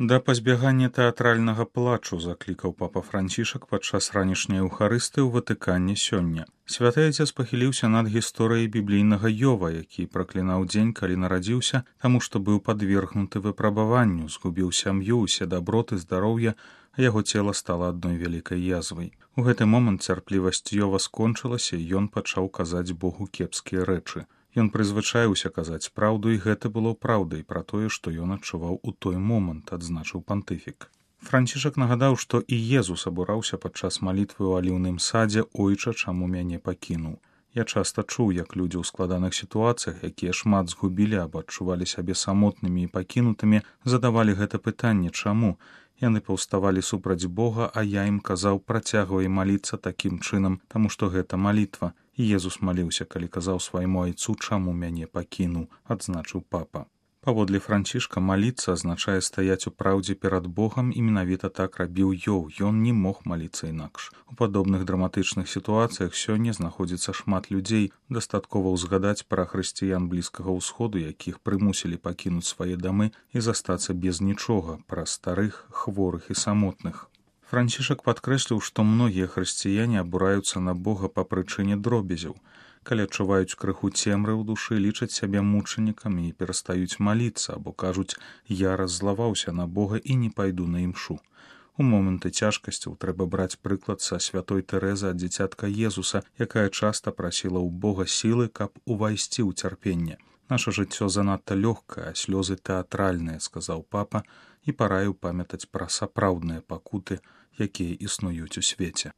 Да пазбягання тэатральнага плачу заклікаў папа Францішак падчас ранішняй эўхарысты ў Ватыкане сёння. Святы Айцец пахіліўся над гісторыяй біблійнага Ёва, які праклінаў дзень, калі нарадзіўся, таму што быў падвергнуты выпрабаванню, згубіў сям'ю, усе даброты, здароўе, а яго цела стала адной вялікай язвай. У гэты момант цярплівасць Ёва скончылася, і ён пачаў казаць Богу кепскія рэчы. Ён прызвычаіўся казаць праўду, і гэта было праўдай пра тое, што ён адчуваў у той момант, адзначыў пантыфік. Францішак нагадаў, што і Езус абураўся падчас малітвы ў аліўным садзе «Ойча, чаму мяне пакінуў». Я часта чуў, як людзі ў складаных сітуацыях, якія шмат згубілі або адчувалі сябе самотнымі і пакінутымі, задавалі гэта пытанне «Чаму?». Яны паўставалі супраць Бога, а я ім казаў «Працягвай маліцца такім чынам, таму што гэта малітва». І Езус маліўся, калі казаў свайму айцу «Чаму мяне пакінуў?», адзначыў папа. Паводле Францішка маліцца азначае стаяць у праўдзе перад Богам, і менавіта так рабіў Ёў, ён не мог маліцца інакш. У падобных драматычных сітуацыях сёння знаходзіцца шмат людзей, дастаткова ўзгадаць пра хрысціян Блізкага ўсходу, якіх прымусілі пакінуць свае дамы і застацца без нічога, пра старых, хворых і самотных. Францішак падкрэсліў, што многія хрысціяне абураюцца на Бога па прычыне дробязяў. Калі адчуваюць крыху цемры ў душы, лічаць сябе мучанікамі і перастаюць маліцца, або кажуць «Я раззлаваўся на Бога і не пайду на імшу». У моманты цяжкасцяў трэба браць прыклад са святой Тэрэзы ад дзіцятка Езуса, якая часта прасіла ў Бога сілы, каб увайсці ў цярпенне. «Наша жыццё занадта лёгкае, а слёзы тэатральныя», — сказаў папа, і параіў памятаць пра сапраўдныя пакуты, якія існуюць у свеце.